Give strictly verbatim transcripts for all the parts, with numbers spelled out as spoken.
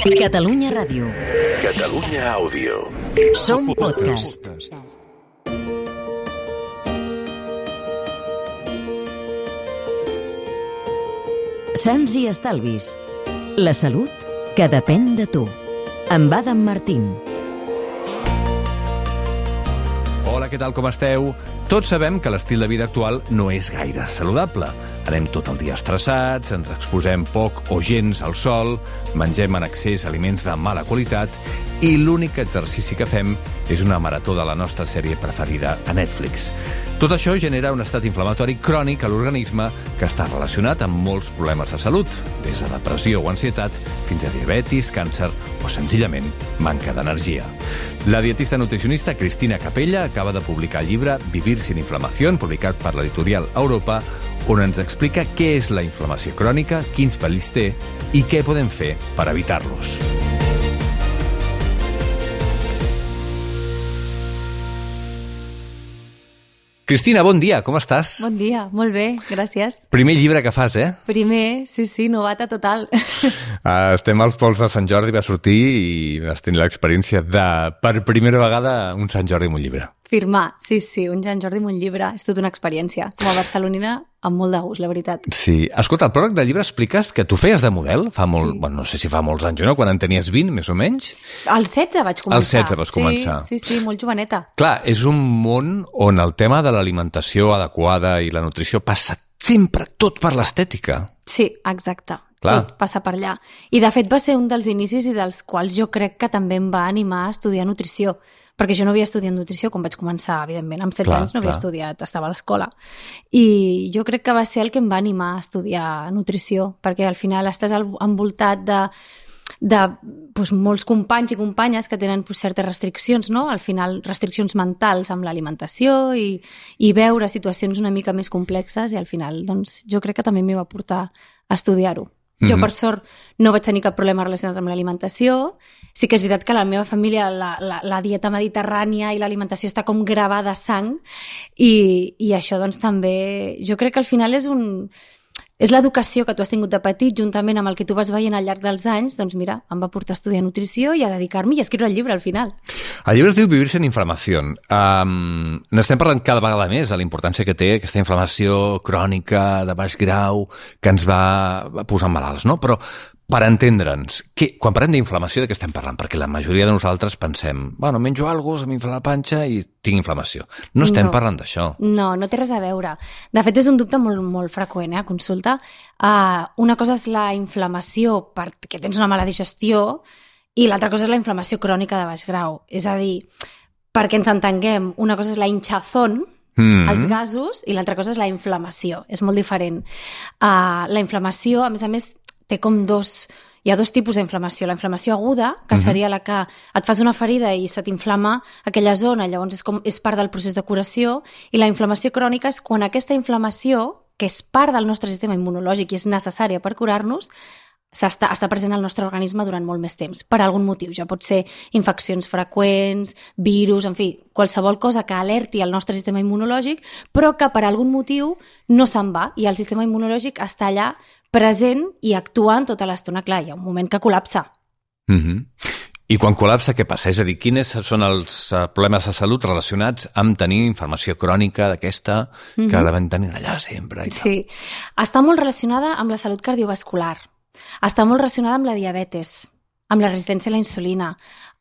Catalunya Ràdio. Catalunya Àudio. Som podcast. Sants i estalvis. La salut que depèn de tu. Amb Adam Martín. Hola, què tal, com esteu? Tots sabem que l'estil de vida actual no és gaire saludable. Anem tot el dia estressats, ens exposem poc o gens al sol, mengem en excés aliments de mala qualitat i l'únic exercici que fem és una marató de la nostra sèrie preferida a Netflix. Tot això genera un estat inflamatori crònic a l'organisme que està relacionat amb molts problemes de salut, des de depressió o ansietat fins a diabetis, càncer o senzillament manca d'energia. La dietista nutricionista Cristina Capella acaba de publicar el llibre Vivir sin inflamación, publicat per l'editorial Europa, on ens explica què és la inflamació crònica, quins perills té i què podem fer per evitar-los. Cristina, bon dia, com estàs? Bon dia, molt bé, gràcies. Primer llibre que fas, eh? Primer, sí, sí, novata total. Uh, estem als pols de Sant Jordi, va sortir i vas tenir l'experiència de, per primera vegada, un Sant Jordi amb un llibre. Firmar, sí, sí, un Sant Jordi amb un llibre, és tota una experiència. Com a barcelonina, amb molt de gust, la veritat. Sí. Escolta, al pròleg del llibre expliques que tu feies de model, fa molt, sí. bueno, no sé si fa molts anys o no, quan en tenies vint, més o menys. Al setze vaig començar. Al setze vas començar. Sí, sí, sí, molt joveneta. Clar, és un món on el tema de l'alimentació adequada i la nutrició passa sempre tot per l'estètica. Sí, exacte. Clar. Tot passa per allà. I de fet va ser un dels inicis i dels quals jo crec que també em va animar a estudiar nutrició, perquè jo no havia estudiat nutrició quan vaig començar, evidentment. Amb setze clar, anys no havia clar. estudiat, estava a l'escola. I jo crec que va ser el que em va animar a estudiar nutrició, perquè al final estàs envoltat de, de doncs, molts companys i companyes que tenen doncs, certes restriccions, no? Al final restriccions mentals amb l'alimentació i, i veure situacions una mica més complexes i al final doncs, jo crec que també m'hi va portar a estudiar-ho. Jo, per sort, no vaig tenir cap problema relacionat amb l'alimentació. Sí que és veritat que a la meva família la, la, la dieta mediterrània i l'alimentació està com gravada a sang i, i això doncs també... Jo crec que al final és un... És l'educació que tu has tingut de petit, juntament amb el que tu vas veient al llarg dels anys, doncs mira, em va portar a estudiar nutrició i a dedicar-m'hi i a escriure el llibre al final. El llibre es diu Vivir sin inflamación. Um, N'estem parlant cada vegada més de la importància que té aquesta inflamació crònica de baix grau que ens va posant malalts, no? Però per entendre'ns, que, quan parlem d'inflamació, de què estem parlant? Perquè la majoria de nosaltres pensem, bueno, menjo alguna cosa, m'infla la panxa i tinc inflamació. No estem no. parlant d'això. No, no té res a veure. De fet, és un dubte molt, molt freqüent, eh, a consulta. Uh, una cosa és la inflamació perquè tens una mala digestió i l'altra cosa és la inflamació crònica de baix grau. És a dir, perquè ens entenguem, una cosa és la hinchazón, Mm-hmm. els gasos, i l'altra cosa és la inflamació. És molt diferent. Uh, la inflamació, a més a més, té com dos... Hi ha dos tipus d'inflamació. La inflamació aguda, que seria la que et fas una ferida i se t'inflama aquella zona, llavors és, com, és part del procés de curació, i la inflamació crònica és quan aquesta inflamació, que és part del nostre sistema immunològic i és necessària per curar-nos, Està, està present al nostre organisme durant molt més temps, per algun motiu. Ja pot ser infeccions freqüents, virus, en fi, qualsevol cosa que alerti el nostre sistema immunològic, però que per algun motiu no se'n va i el sistema immunològic està allà present i actuant tota l'estona. Clar, hi ha un moment que col·lapsa. Mm-hmm. I quan col·lapsa, què passa? És a dir, quins són els problemes de salut relacionats amb tenir inflamació crònica d'aquesta que mm-hmm. la vam tenir allà sempre? I tal? Sí, està molt relacionada amb la salut cardiovascular. Està molt relacionada amb la diabetes, amb la resistència a la insulina,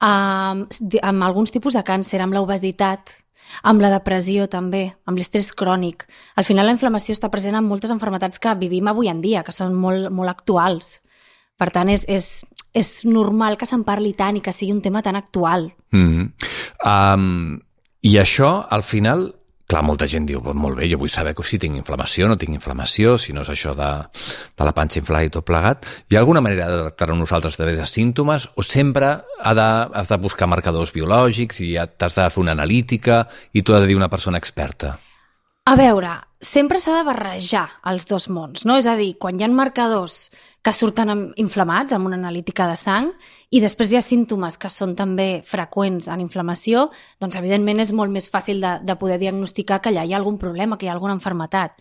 amb, amb alguns tipus de càncer, amb l'obesitat, amb la depressió també, amb l'estrès crònic. Al final la inflamació està present en moltes malalties que vivim avui en dia, que són molt, molt actuals. Per tant, és, és, és normal que se'n parli tant i que sigui un tema tan actual. Mm-hmm. Um, I això, al final... Clar, molta gent diu, molt bé, jo vull saber si tinc inflamació, no tinc inflamació, si no és això de, de la panxa inflada i tot plegat. Hi ha alguna manera de tractar-ho nosaltres de símptomes o sempre ha de, has de buscar marcadors biològics i t'has de fer una analítica i t'ho ha de dir una persona experta? A veure, sempre s'ha de barrejar els dos mons, no? És a dir, quan hi ha marcadors que surten inflamats amb una analítica de sang i després hi ha símptomes que són també freqüents en inflamació, doncs evidentment és molt més fàcil de, de poder diagnosticar que allà hi ha algun problema, que hi ha alguna malaltia.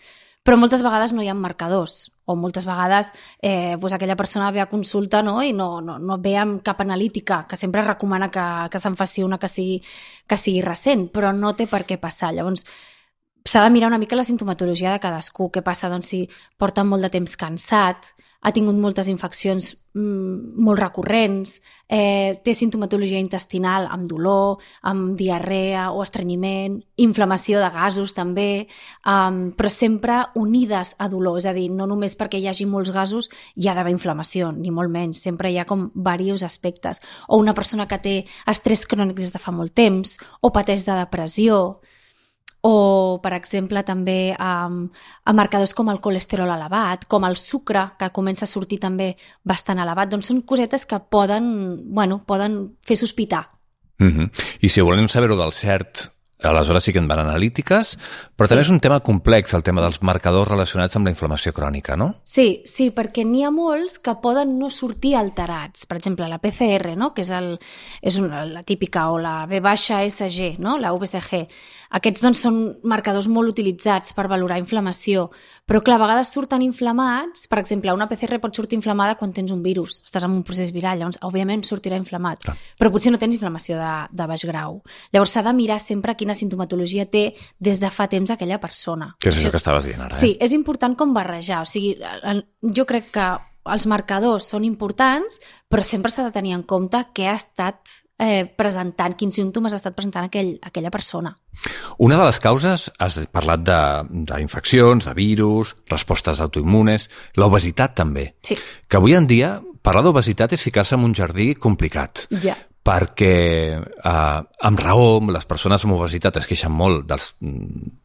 Però moltes vegades no hi ha marcadors, o moltes vegades eh, doncs aquella persona ve a consulta, no? I no, no, no ve amb cap analítica, que sempre recomana que, que se'n faci una que sigui, que sigui recent, però no té per què passar. Llavors, s'ha de mirar una mica la sintomatologia de cadascú. Què passa? Doncs si porta molt de temps cansat, ha tingut moltes infeccions mm, molt recurrents, eh, té sintomatologia intestinal amb dolor, amb diarrea o estrenyiment, inflamació de gasos també, um, però sempre unides a dolor, és a dir, no només perquè hi hagi molts gasos hi ha d'haver inflamació, ni molt menys, sempre hi ha com diversos aspectes. O una persona que té estrès crònic des de fa molt temps, o pateix de depressió, o, per exemple, també um, a marcadors com el colesterol elevat, com el sucre, que comença a sortir també bastant elevat. Doncs són cosetes que poden, bueno, poden fer sospitar. Mm-hmm. I si volem saber-ho del cert, aleshores sí que en van analítiques, però també és un tema complex, el tema dels marcadors relacionats amb la inflamació crònica, no? Sí, sí, perquè n'hi ha molts que poden no sortir alterats. Per exemple, la P C R, no? Que és, el, és una, la típica, o la B S G, no? La V C G. Aquests doncs, són marcadors molt utilitzats per valorar inflamació, però clar, a vegades surten inflamats. Per exemple, una P C R pot sortir inflamada quan tens un virus, estàs en un procés viral, llavors òbviament sortirà inflamat, clar. Però potser no tens inflamació de, de baix grau. Llavors s'ha de mirar sempre quina sintomatologia té des de fa temps aquella persona. Que és això, això que estaves dient ara, eh? Sí, és important com barrejar. O sigui, jo crec que els marcadors són importants, però sempre s'ha de tenir en compte què ha estat eh, presentant, quins símptomes ha estat presentant aquell, aquella persona. Una de les causes, has parlat d'infeccions, de, de virus, respostes autoimmunes, l'obesitat també. Sí. Que avui en dia parlar d'obesitat és ficar-se en un jardí complicat. Ja. Perquè eh, amb raó les persones amb obesitat es queixen molt de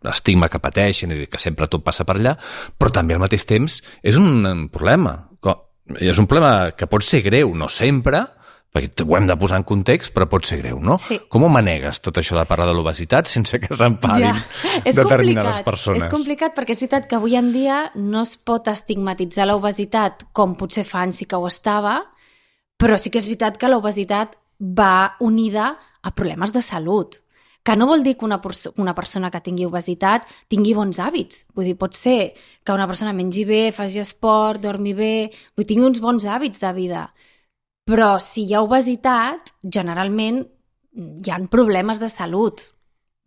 l'estigma que pateixen i que sempre tot passa per allà, però també al mateix temps és un problema. És un problema que pot ser greu, no sempre, perquè ho hem de posar en context, però pot ser greu, no? Sí. Com ho manegues tot això de parlar de l'obesitat sense que s'enfadin ja. determinades persones? És complicat perquè és veritat que avui en dia no es pot estigmatitzar l'obesitat com potser fa anys sí que ho estava, però sí que és veritat que l'obesitat va unida a problemes de salut, que no vol dir que una, una persona que tingui obesitat tingui bons hàbits. Vull dir, pot ser que una persona mengi bé, faci esport, dormi bé, vull dir, tingui uns bons hàbits de vida. Però si hi ha obesitat, generalment hi ha problemes de salut.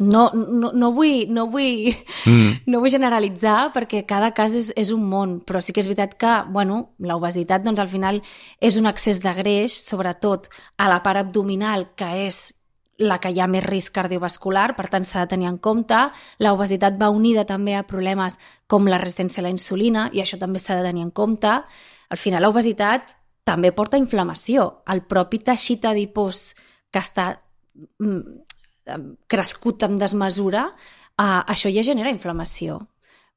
No, no, no vull, no vull, mm. no vull generalitzar perquè cada cas és, és un món, però sí que és veritat que, bueno, l'obesitat doncs, al final és un excés de greix, sobretot a la part abdominal, que és la que hi ha més risc cardiovascular, per tant s'ha de tenir en compte. L'obesitat va unida també a problemes com la resistència a la insulina i això també s'ha de tenir en compte. Al final l'obesitat també porta inflamació. El propi teixit adipós que està crescut amb desmesura, eh, això ja genera inflamació.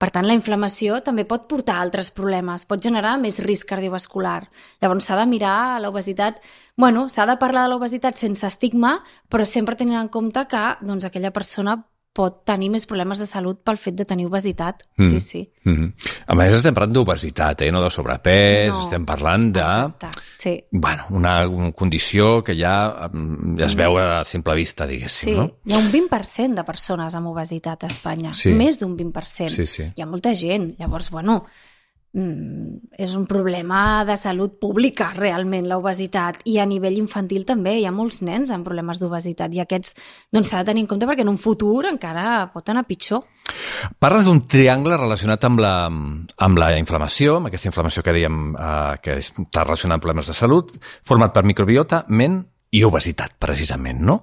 Per tant, la inflamació també pot portar altres problemes, pot generar més risc cardiovascular. Llavors s'ha de mirar l'obesitat, bueno, s'ha de parlar de l'obesitat sense estigma, però sempre tenint en compte que doncs, aquella persona pot tenir més problemes de salut pel fet de tenir obesitat. Mm. Sí, sí. Mm-hmm. A més, estem parlant d'obesitat, eh? No de sobrepès, no. Estem parlant de... Exacte, sí. Bueno, una, una condició que ja, ja es veu a simple vista, diguéssim, sí. No? Hi ha un vint per cent de persones amb obesitat a Espanya. Sí. Més d'un vint per cent. Sí, sí. Hi ha molta gent. Llavors, bueno... és un problema de salut pública realment l'obesitat, i a nivell infantil també hi ha molts nens amb problemes d'obesitat i aquests doncs s'ha de tenir en compte perquè en un futur encara pot anar pitjor. Parles d'un triangle relacionat amb la, amb la inflamació, amb aquesta inflamació que dèiem eh, que està relacionada amb problemes de salut, format per microbiota, ment i obesitat, precisament, no?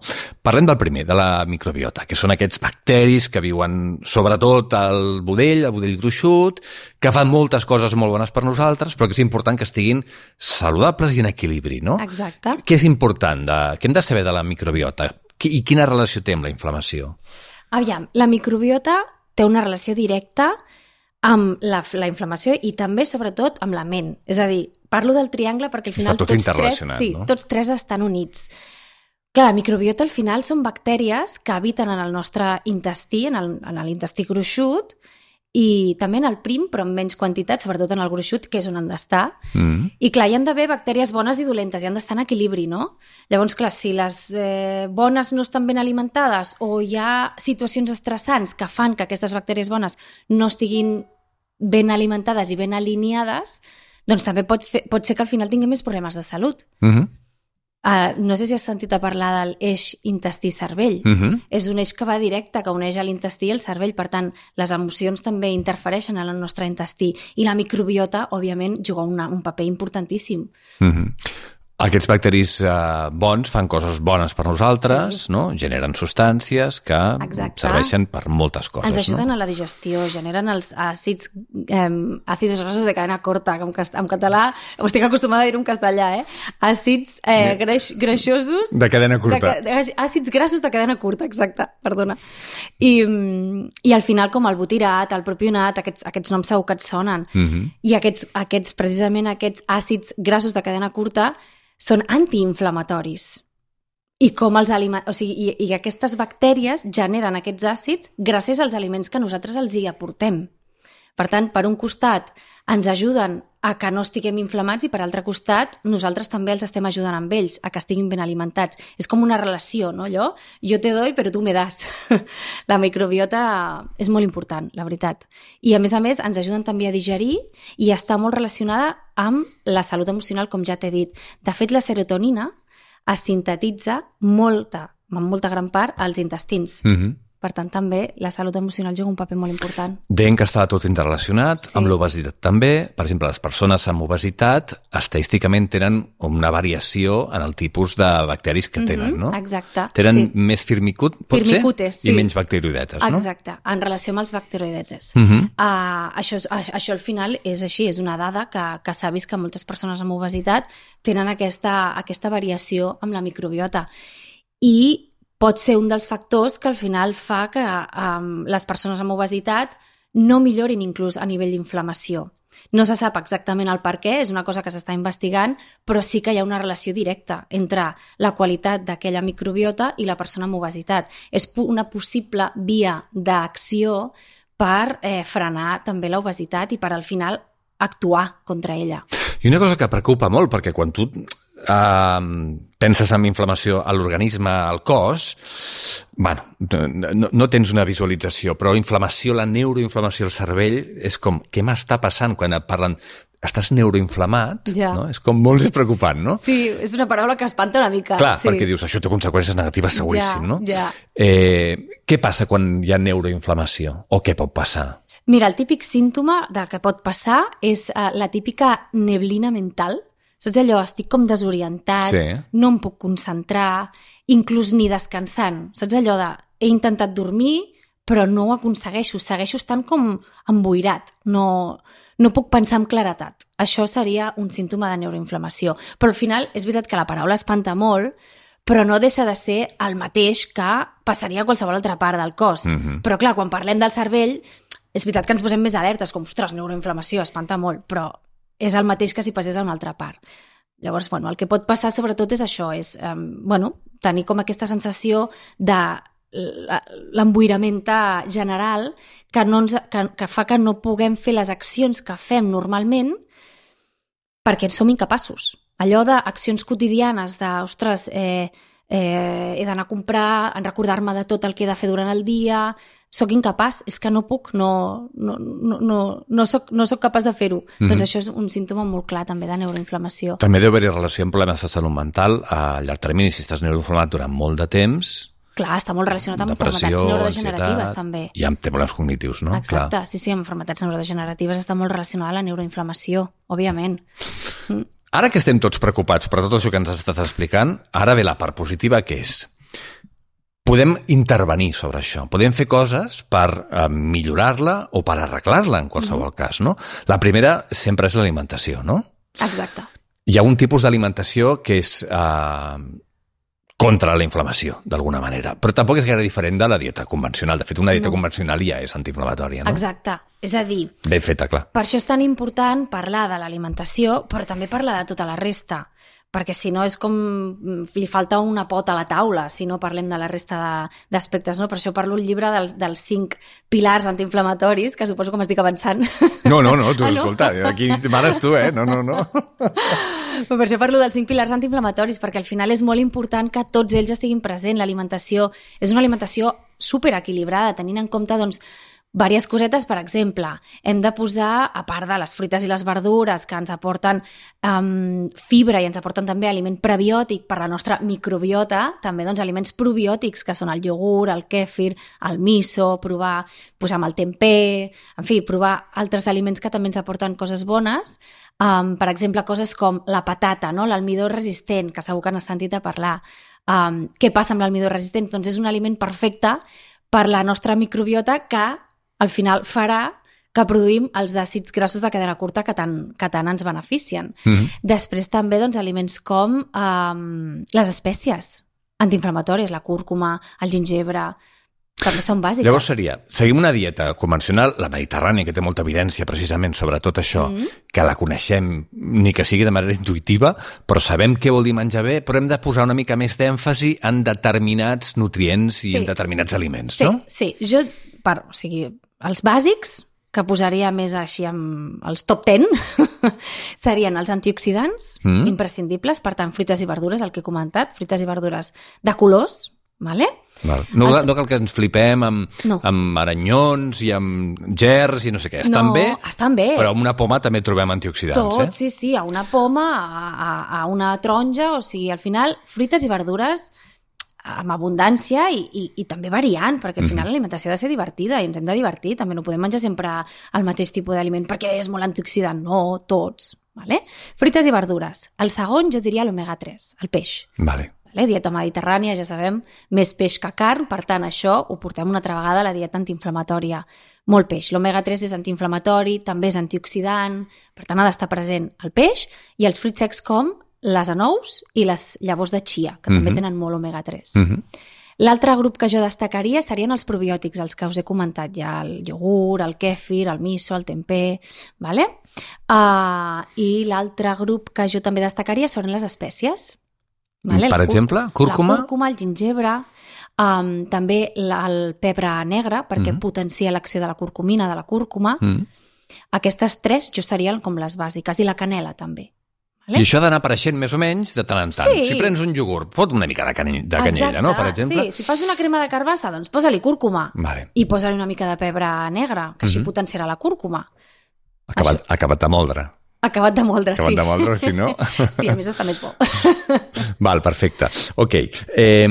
Parlem del primer, de la microbiota, que són aquests bacteris que viuen sobretot al budell, al budell gruixut, que fan moltes coses molt bones per nosaltres, però que és important que estiguin saludables i en equilibri, no? Exacte. Què és important? De, què hem de saber de la microbiota? I quina relació té amb la inflamació? Aviam, la microbiota té una relació directa amb la, la inflamació i també, sobretot, amb la ment. És a dir, parlo del triangle perquè al final tot tots tres, sí, no? tots tres estan units. Clar, la microbiota al final són bactèries que habiten en el nostre intestí, en el, en l'intestí gruixut, i també en el prim, però en menys quantitat, sobretot en el gruixut, que és on han d'estar. Mm. I clar, hi han d'haver bactèries bones i dolentes, hi han d'estar en equilibri, no? Llavors, clar, si les eh, bones no estan ben alimentades o hi ha situacions estressants que fan que aquestes bactèries bones no estiguin ben alimentades i ben alineades, doncs també pot, fer, pot ser que al final tinguem més problemes de salut. Uh-huh. Uh, no sé si has sentit a parlar del eix intestí-cervell. Uh-huh. És un eix que va directe, que uneix l'intestí i el cervell. Per tant, les emocions també interfereixen en el nostre intestí. I la microbiota, òbviament, juga una, un paper importantíssim. Uh-huh. Aquests bacteris eh, bons fan coses bones per nosaltres, Sí. no? Generen substàncies que Exacte. serveixen per moltes coses. Ens ajuden no? a la digestió, generen els àcids, eh, àcids grossos de cadena curta, que en, cast en català, ho estic acostumada a dir en castellà, eh? Àcids eh, greix, greixosos... De cadena curta. De, de, àcids grassos de cadena curta, exacte, perdona. I, i al final, com el butirat, el propionat, aquests, aquests noms segur que et sonen. Uh-huh. I aquests, aquests, precisament aquests àcids grassos de cadena curta són antiinflamatoris. I com els aliments, o sigui, i, i aquestes bactèries generen aquests àcids gràcies als aliments que nosaltres els hi aportem. Per tant, per un costat ens ajuden a que no estiguem inflamats i per altre costat nosaltres també els estem ajudant amb ells a que estiguin ben alimentats. És com una relació, no? Allò, jo te doy però tu me das. La microbiota és molt important, la veritat. I a més a més ens ajuden també a digerir i està molt relacionada amb la salut emocional, com ja t'he dit. De fet, la serotonina es sintetitza molta, en molta gran part, als intestins. Uh-huh. Per tant, també la salut emocional juga un paper molt important. Deien que estava tot interrelacionat, Sí. amb l'obesitat també. Per exemple, les persones amb obesitat estadísticament tenen una variació en el tipus de bacteris que tenen, no? Exacte. Tenen sí. més firmicut, pot Firmicutes, ser? sí. I menys bacteroidetes, no? Exacte, en relació amb els bacteroidetes. Uh -huh. uh, això, és- a- això al final és així, és una dada que, que s'ha vist que moltes persones amb obesitat tenen aquesta, aquesta variació amb la microbiota. I pot ser un dels factors que al final fa que um, les persones amb obesitat no millorin inclús a nivell d'inflamació. No se sap exactament el per què, és una cosa que s'està investigant, però sí que hi ha una relació directa entre la qualitat d'aquella microbiota i la persona amb obesitat. És una possible via d'acció per eh, frenar també l'obesitat i per al final actuar contra ella. I una cosa que preocupa molt, perquè quan tu uh, penses en inflamació a l'organisme, al cos, bueno, no, no tens una visualització, però inflamació, la neuroinflamació al cervell, és com, què m'està passant quan et parlen estàs neuroinflamat, Ja. no? És com molt més preocupant, no? Sí, és una paraula que espanta una mica. Clar, sí. perquè dius, això té conseqüències negatives seguríssim, Ja, no? ja. Eh, què passa quan hi ha neuroinflamació? O què pot passar? Mira, el típic símptoma del que pot passar és uh, la típica neblina mental. Saps allò? Estic com desorientat, Sí. no em puc concentrar, inclús ni descansant. Saps allò de he intentat dormir però no ho aconsegueixo, segueixo estant com emboirat, no, no puc pensar amb claretat. Això seria un símptoma de neuroinflamació. Però al final és veritat que la paraula espanta molt, però no deixa de ser el mateix que passaria a qualsevol altra part del cos. Mhm. Però clar, quan parlem del cervell, és veritat que ens posem més alertes, com, ostres, neuroinflamació, espanta molt, però és el mateix que si passés a una altra part. Llavors, bueno, el que pot passar sobretot és això, és eh, bueno, tenir com aquesta sensació de l'emboirament general que, no ens, que, que fa que no puguem fer les accions que fem normalment perquè som incapaços. Allò d'accions quotidianes de, ostres, eh, eh, he d'anar a comprar, en recordar-me de tot el que he de fer durant el dia, soc incapaç, és que no puc, no, no, no, no, no, soc, no soc capaç de fer-ho. Mm-hmm. Doncs això és un símptoma molt clar també de neuroinflamació. També deu haver-hi relació amb problemes de salut mental a llarg termini. Si estàs neuroinflamat durant molt de temps, Clar, està molt relacionat amb depressió, malalties neurodegeneratives, ansietat, també. i amb problemes cognitius, no? Exacte, Clar. sí, sí, amb malalties neurodegeneratives està molt relacionada la neuroinflamació, òbviament. Mm. Ara que estem tots preocupats per tot això que ens has estat explicant, ara ve la part positiva, que és podem intervenir sobre això, podem fer coses per eh, millorar-la o per arreglar-la, en qualsevol mm. cas, no? La primera sempre és l'alimentació, no? Exacte. Hi ha un tipus d'alimentació que és eh, contra la inflamació, d'alguna manera, però tampoc és gaire diferent de la dieta convencional. De fet, una dieta no. convencional ja és antiinflamatòria, no? Exacte. És a dir, ben feta, clar. Per això és tan important parlar de l'alimentació, però també parlar de tota la resta, perquè si no és com li falta una pota a la taula si no parlem de la resta d'aspectes, no? Per això parlo el llibre dels, dels cinc pilars antiinflamatoris, que suposo que m'estic avançant. No, no, no, tu, ah, no? escolta, aquí mares tu, eh? No, no, no. Per això parlo dels cinc pilars antiinflamatoris, perquè al final és molt important que tots ells estiguin presents. L'alimentació és una alimentació superequilibrada, tenint en compte, doncs, Vàries cosetes, per exemple, hem de posar, a part de les fruites i les verdures que ens aporten um, fibra i ens aporten també aliment prebiòtic per la nostra microbiota, també doncs, aliments probiòtics, que són el iogurt, el kèfir, el miso, provar pues, amb el tempeh, en fi, provar altres aliments que també ens aporten coses bones, um, per exemple, coses com la patata, no? L'almidó resistent, que segur que n'has sentit a parlar. Um, què passa amb l'almidó resistent? Doncs és un aliment perfecte per la nostra microbiota que al final farà que produïm els àcids grassos de cadena curta que tant, que tant ens beneficien. Mm-hmm. Després també doncs, aliments com um, les espècies antiinflamatòries, la cúrcuma, el gingebre, també són bàsiques. Llavors seria, seguim una dieta convencional, la mediterrània, que té molta evidència precisament sobre tot això, mm-hmm. que la coneixem, ni que sigui de manera intuïtiva, però sabem què vol dir menjar bé, però hem de posar una mica més d'èmfasi en determinats nutrients i sí. en determinats aliments, sí, no? Sí, jo, per, o sigui, els bàsics, que posaria més així amb els top ten, serien els antioxidants, mm. imprescindibles, per tant, fruites i verdures, el que he comentat, fruites i verdures de colors, vale? Val. No, els... no cal que ens flipem amb, no. amb aranyons i amb gerds i no sé què. Estan no, bé, estan bé, però amb una poma també trobem antioxidants. Tot, eh? sí, sí, a una poma, a, a, a una taronja, o sigui, al final, fruites i verdures amb abundància i, i, i també variant, perquè al final mm-hmm. l'alimentació ha de ser divertida i ens hem de divertir, també no podem menjar sempre el mateix tipus d'aliment perquè és molt antioxidant, no, tots, vale? Fruites i verdures. El segon jo diria l'omega tres, el peix. Vale. Vale? Dieta mediterrània, ja sabem, més peix que carn, per tant això ho portem una altra vegada a la dieta antiinflamatòria. Molt peix. L'omega tres és antiinflamatori, també és antioxidant, per tant ha d'estar present el peix i els fruits secs com les anous i les llavors de chia, que mm-hmm. també tenen molt omega tres. Mm-hmm. L'altre grup que jo destacaria serien els probiòtics, els que us he comentat ja, el iogurt, el kèfir, el miso, el tempeh, vale? Uh, i l'altre grup que jo també destacaria són les espècies. Vale? Per el exemple, cúrcuma? La cúrcuma, el gingebre, um, també la, el pebre negre, perquè mm-hmm. potencia l'acció de la curcumina, de la cúrcuma. Mm-hmm. Aquestes tres jo serien com les bàsiques, i la canela també. I això ha d'anar apareixent més o menys de tant en tant. Sí. Si prens un iogurt, fot una mica de, cany de canyella, exacte, no? Per exemple. Sí, si fas una crema de carbassa, doncs posa-li cúrcuma. Vale. I posa-li una mica de pebre negre, que així mm-hmm. potenciarà la cúrcuma. Acabat, acabat de moldre. Acabat de moldre, acabat sí. de moldre, si no... Sí, a més està més bo. Val, perfecte. Ok. Eh,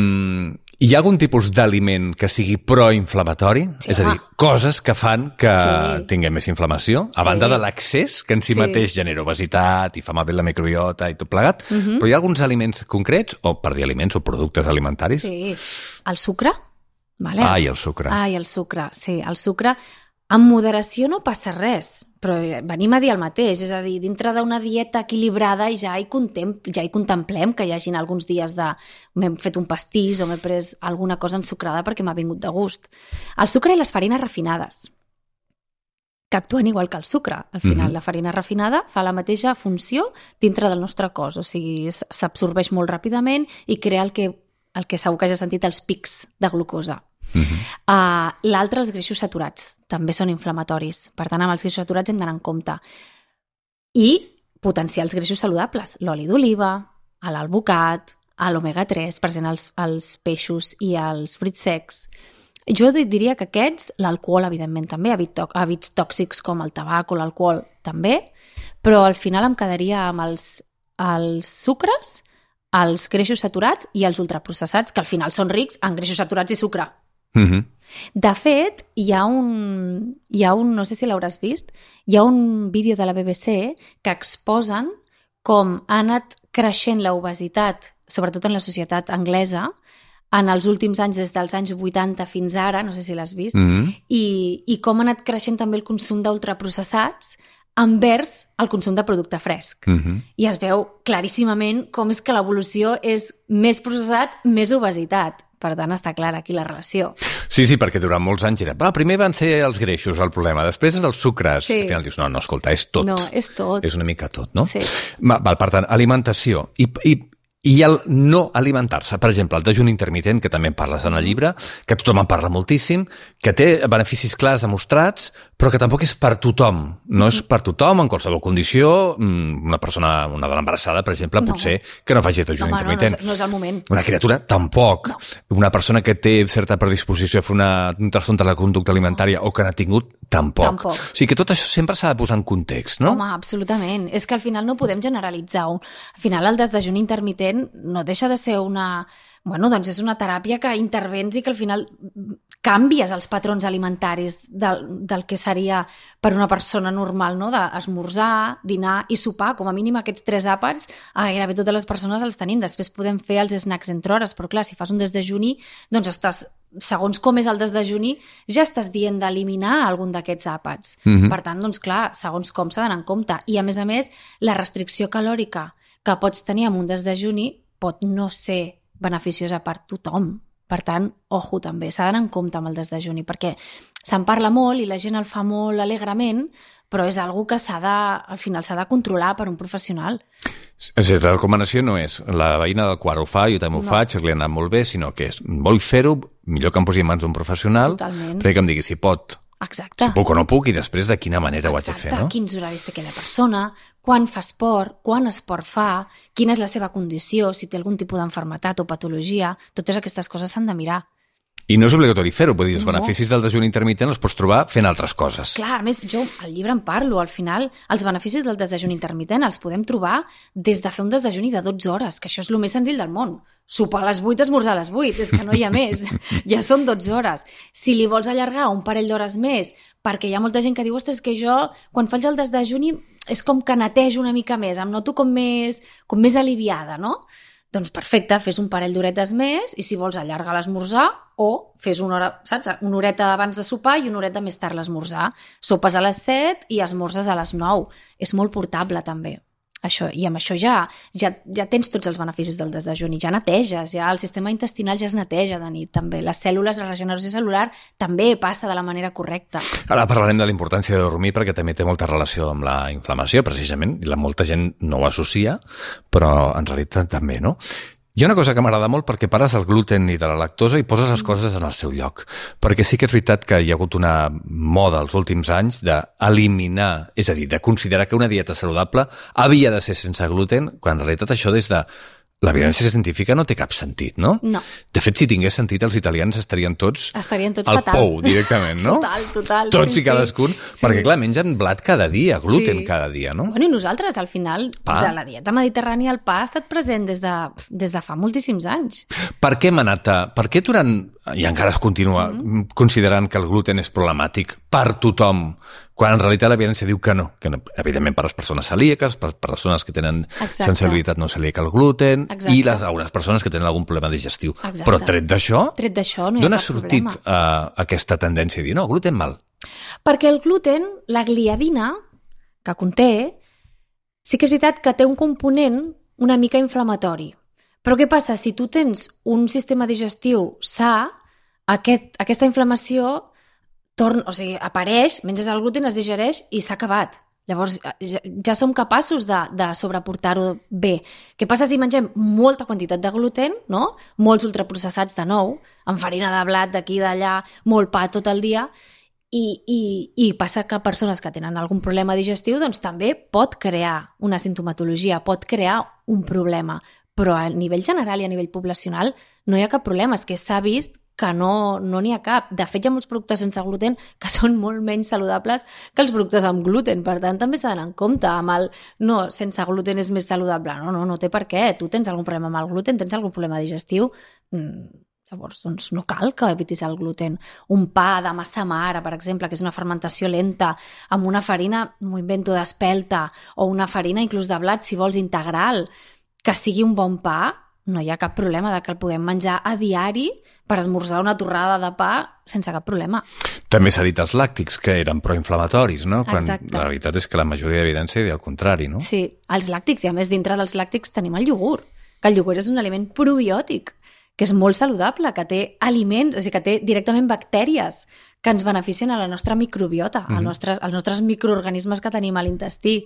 hi ha algun tipus d'aliment que sigui proinflamatori? Sí, és a dir, coses que fan que sí. tinguem més inflamació, a sí. banda de l'accés, que en si sí. mateix genera obesitat i fa malbé la microbiota i tot plegat, uh-huh. però hi ha alguns aliments concrets, o per dir aliments o productes alimentaris? Sí. El sucre. Vale? Ai, el sucre. Ai, el sucre, sí. El sucre... En moderació no passa res, però venim a dir el mateix, és a dir, dintre d'una dieta equilibrada ja hi, ja hi contemplem que hi hagin alguns dies de m'he fet un pastís o m'he pres alguna cosa ensucrada perquè m'ha vingut de gust. El sucre i les farines refinades, que actuen igual que el sucre. Al final, mm-hmm. la farina refinada fa la mateixa funció dintre del nostre cos, o sigui, s'absorbeix molt ràpidament i crea el que, el que segur que ja has sentit, els pics de glucosa. Uh-huh. Uh, l'altre, els greixos saturats, també són inflamatoris. Per tant, amb els greixos saturats hem d'anar en compte. I potenciar els greixos saludables, l'oli d'oliva, l'alvocat, l'omega tres, present als, als peixos i als fruits secs. Jo diria que aquests, l'alcohol, evidentment, també, hàbits tòxics com el tabac o l'alcohol, també, però al final em quedaria amb els, els sucres, els greixos saturats i els ultraprocessats, que al final són rics en greixos saturats i sucre. Mm-hmm. De fet, hi ha un, hi ha un, no sé si l'hauràs vist, hi ha un vídeo de la B B C que exposen com ha anat creixent l'obesitat, sobretot en la societat anglesa, en els últims anys, des dels anys vuitanta fins ara, no sé si l'has vist, mm-hmm. i, i com ha anat creixent també el consum d'ultraprocessats envers el consum de producte fresc. Mm-hmm. I es veu claríssimament com és que l'evolució és més processat, més obesitat. Per tant, està clara aquí la relació. Sí, sí, perquè durant molts anys era... Va, primer van ser els greixos el problema, després és els sucres. Sí. Al final dius, no, no, escolta, és tot. No, és tot. És una mica tot, no? Sí. Val, per tant, alimentació. I, i, i el no alimentar-se. Per exemple, el dejuni intermitent, que també en parles en el llibre, que tothom en parla moltíssim, que té beneficis clars demostrats, però que tampoc és per tothom. No és per tothom, en qualsevol condició. Una persona, una dona embarassada, per exemple, No. potser que no faci dejuni Home, no, no, intermitent. és, no és el moment. Una criatura, tampoc. Una persona que té certa predisposició a fer una, un trastorn de la conducta alimentària o que n'ha tingut, tampoc. Tampoc. O sigui que tot això sempre s'ha de posar en context, no? Home, absolutament. És que al final no podem generalitzar. Al final el desdejuni intermitent no deixa de ser una... Bueno, doncs és una teràpia que intervens i que al final canvies els patrons alimentaris del, del que seria per una persona normal, no? D'esmorzar, dinar i sopar, com a mínim aquests tres àpats, a gairebé totes les persones els tenim. Després podem fer els snacks entre hores, però clar, si fas un desdejuni, doncs estàs, segons com és el desdejuni, ja estàs dient d'eliminar algun d'aquests àpats. Mhm. Per tant, doncs clar, segons com s'ha d'anar en compte. I a més a més, la restricció calòrica que pots tenir amb un desdejuni pot no ser beneficiosa per tothom. Per tant, ojo també, s'ha d'anar en compte amb el desdejuni, perquè se'n parla molt i la gent el fa molt alegrement, però és algo que s'ha de, al final s'ha de controlar per un professional. És a dir, la recomanació no és la veïna del quart ho fa, jo també ho No. faig, li ha anat molt bé, sinó que és, vull fer-ho, millor que em posi en mans d'un professional, Totalment. perquè que em digui si pot, Exacte. si puc o no puc, i després de quina manera ho haig de Exacte. fer, no? Quins horaris té aquella persona, quan fa esport, quan esport fa, quina és la seva condició, si té algun tipus d'enfermetat o patologia, totes aquestes coses s'han de mirar. I no és obligatori fer-ho, vull dir, els No. beneficis del dejuni intermitent els pots trobar fent altres coses. Clar, a més, jo al llibre en parlo, al final, els beneficis del desdejuni intermitent els podem trobar des de fer un desdejuni de dotze hores, que això és el més senzill del món. Sopar a les vuit, esmorzar a les vuit, és que no hi ha més. Ja són dotze hores. Si li vols allargar un parell d'hores més, perquè hi ha molta gent que diu, ostres, que jo, quan faig el desdejuni, és com que netejo una mica més, em noto com més, com més aliviada, no? Doncs perfecte, fes un parell d'horetes més i si vols allargar l'esmorzar o fes una hora, saps? Una horeta abans de sopar i una horeta més tard l'esmorzar. Sopes a les set i esmorzes a les nou. És molt portable també. Això, i amb això ja, ja, ja tens tots els beneficis del desdejuni, ja neteges, ja el sistema intestinal ja es neteja de nit també, les cèl·lules, la regeneració cel·lular també passa de la manera correcta. Ara parlarem de la importància de dormir perquè també té molta relació amb la inflamació, precisament, i la molta gent no ho associa, però en realitat també, no? Hi ha una cosa que m'agrada molt perquè pares el gluten i de la lactosa i poses les coses en el seu lloc. Perquè sí que és veritat que hi ha hagut una moda els últims anys d'eliminar, és a dir, de considerar que una dieta saludable havia de ser sense gluten, quan en realitat això des de l'evidència científica no té cap sentit, no? No. De fet, si tingués sentit, els italians estarien tots Estarien tots al fatal. pou directament, no? Total, total. Tots sí, i cadascun, sí. perquè clar, mengen blat cada dia, gluten Sí. cada dia, no? Bueno, i nosaltres, al final, Pa. de la dieta mediterrània, el pa ha estat present des de, des de fa moltíssims anys. Per què hem anat a... Per què durant... I encara es continua mm. considerant que el gluten és problemàtic per tothom, quan en realitat l'evidència diu que no, que no, evidentment per les persones celíaques, per persones que tenen Exacte. sensibilitat no celíaca al gluten, Exacte. i les, algunes persones que tenen algun problema digestiu. Exacte. Però tret d'això, Tret d'això, no hi ha d'on ha cap sortit problema. uh, aquesta tendència a dir, no, gluten mal? Perquè el gluten, la gliadina que conté, sí que és veritat que té un component una mica inflamatori. Però què passa? Si tu tens un sistema digestiu sa, aquest, aquesta inflamació torna, o sigui, apareix, menges el gluten, es digereix i s'ha acabat. Llavors, ja, ja som capaços de, de sobreportar-ho bé. Què passa si mengem molta quantitat de gluten, no? Molts ultraprocessats de nou, amb farina de blat d'aquí i d'allà, molt pa tot el dia, i, i, i passa que persones que tenen algun problema digestiu doncs també pot crear una sintomatologia, pot crear un problema, però a nivell general i a nivell poblacional no hi ha cap problema, és que s'ha vist que no no n'hi ha cap. De fet, hi ha molts productes sense gluten que són molt menys saludables que els productes amb gluten, per tant també s'ha d'anar en compte amb el no, sense gluten és més saludable, no, no, no té per què, tu tens algun problema amb el gluten, tens algun problema digestiu, mm, llavors doncs no cal que evitis el gluten. Un pa de massa mare, per exemple, que és una fermentació lenta, amb una farina, m'ho invento, d'espelta, o una farina inclús de blat, si vols, integral, que sigui un bon pa, no hi ha cap problema de que el puguem menjar a diari per esmorzar una torrada de pa sense cap problema. També s'ha dit els làctics, que eren proinflamatoris, no? Quan Exacte. la veritat és que la majoria d'evidència diu el contrari, no? Sí, els làctics, i a més dintre dels làctics tenim el iogurt, que el iogurt és un aliment probiòtic, que és molt saludable, que té aliments, o sigui, que té directament bactèries que ens beneficien a la nostra microbiota, mm-hmm. als, nostres, als nostres microorganismes que tenim a l'intestí.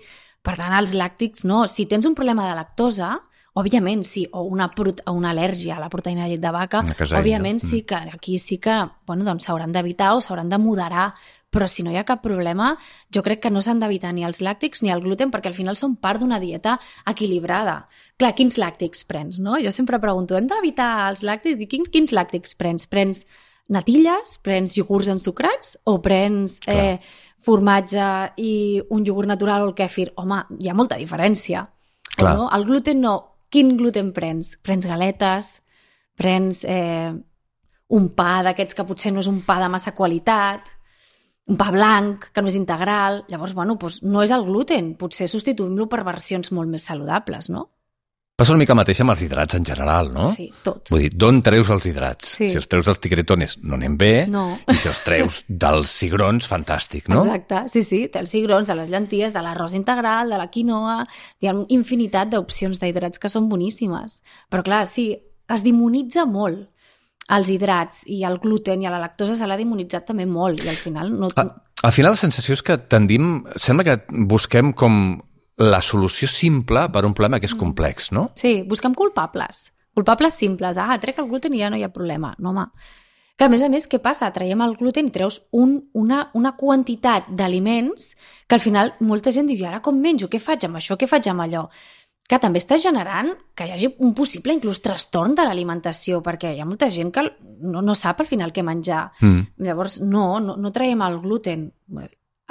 Per tant, els làctics no. Si tens un problema de lactosa, òbviament sí, o una, o una al·lèrgia a la proteïna de llet de vaca, òbviament sí que aquí sí que bueno, doncs s'hauran d'evitar o s'hauran de moderar, però si no hi ha cap problema, jo crec que no s'han d'evitar ni els làctics ni el gluten, perquè al final són part d'una dieta equilibrada. Clar, quins làctics prens, no? Jo sempre pregunto, hem d'evitar els làctics? Quins, quins làctics prens? Prens natilles? Prens iogurts ensucrats? O prens eh, formatge i un iogurt natural o el kèfir? Home, hi ha molta diferència. O no? El gluten no. Quin gluten prens? Prens galetes? Prens eh, un pa d'aquests que potser no és un pa de massa qualitat? Un pa blanc, que no és integral? Llavors, bueno, doncs no és el gluten. Potser substituïm-lo per versions molt més saludables, no? Passa una mica mateix amb els hidrats en general, no? Sí, tot. Vull dir, d'on treus els hidrats? Sí. Si els treus dels tigretones, no anem bé, no. I si els treus dels cigrons, fantàstic, no? Exacte, sí, sí, té els cigrons, de les llenties, de l'arròs integral, de la quinoa, hi ha infinitat d'opcions d'hidrats que són boníssimes. Però clar, sí, es demonitza molt els hidrats i el gluten i la lactosa se l'ha demonitzat també molt i al final no... A, al final la sensació és que tendim, sembla que busquem com la solució simple per un problema que és complex, no? Sí, busquem culpables, culpables simples. Ah, trec el gluten i ja no hi ha problema. No, home. Que a més a més, què passa? Traiem el gluten i treus un, una, una quantitat d'aliments que al final molta gent diu, ara com menjo? Què faig amb això? Què faig amb allò? Que també està generant que hi hagi un possible inclús trastorn de l'alimentació, perquè hi ha molta gent que no, no sap al final què menjar. Mm. Llavors, no, no, no traiem el gluten.